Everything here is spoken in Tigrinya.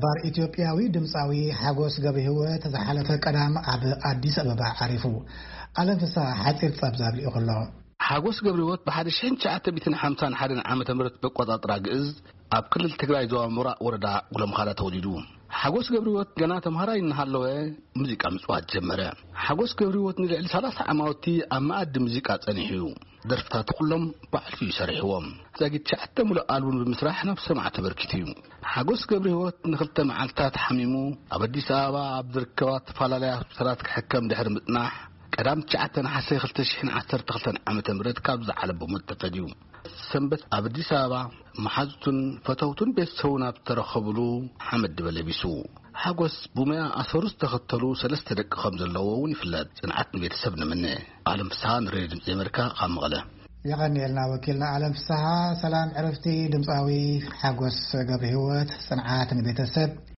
ባር ኢትዮጵያዊ ድምፃዊ ሓጎስ ገብረ ህይወት ዝሓለፈ ቀዳም ኣብ ኣዲስ ኣበባ ዓሪፉ። ኣለም ፍስሃ ሓፂር ፀብፃብ ልኢኹ ኣሎ። ሓጎስ ገብረ ህይወት ብሓደ ሽሕን ትሽዓተ ሚእትን ሓምሳን ሓደን ዓመተ ምህረት በቆፃፅራ ግእዝ ኣብ ክልል ትግራይ ዞባ ምብራቕ ወረዳ ጉለምኻዳ ተወሊዱ። ሓጎስ ገብረ ህይወት ገና ተምሃራይ እናሃለወ ሙዚቃ ምፅዋት ጀመረ። ሓጎስ ገብረ ህይወት ንልዕሊ ሰላሳ ዓማውቲ ኣብ መኣዲ ሙዚቃ ጸኒሑ እዩ። ደርፍታቱ ኩሎም ባዕሉ እዩ ሰሪሕዎም። ዛጊት ትሽዓተ ሙሉእ ኣልቡም ብምስራሕ ናብ ሰማዕቲ በርኪቱ እዩ። ሓጎስ ገብረ ህይወት ንክልተ መዓልታት ሓሚሙ ኣብ ኣዲስ ኣበባ ኣብ ዝርከባ ዝተፈላለያ ሆስፒታላት ክሕከም ድሕሪ ምጽናሕ ቀዳም ትሽዓተ ነሓሰ ክልተ ሽሕን ዓሰርተ ክልተን ዓመተ ምህረት ካብዚ ዓለም ብሞት ተፈድዩ። ሰንበት ኣብ ኣዲስ ኣበባ መሓዙቱን ፈተውቱን ቤተሰቡን ኣብ ዝተረኸብሉ ሓመድ ድበ ለቢሱ። ሓጎስ ብሞያ ኣሰሩ ዝተኸተሉ ሰለስተ ደቂ ከም ዘለዎ እውን ይፍለጥ። ጽንዓት ንቤተሰብ ንምነ። ኣለም ፍስሃ ንሬድዮ ድምፂ ኣሜሪካ ካብ መቐለ። የቐንየልና ወኪልና ኣለም ፍስሃ። ሰላም ዕረፍቲ ድምፃዊ ሓጎስ ገብረ ህይወት። ጽንዓት ንቤተሰብ።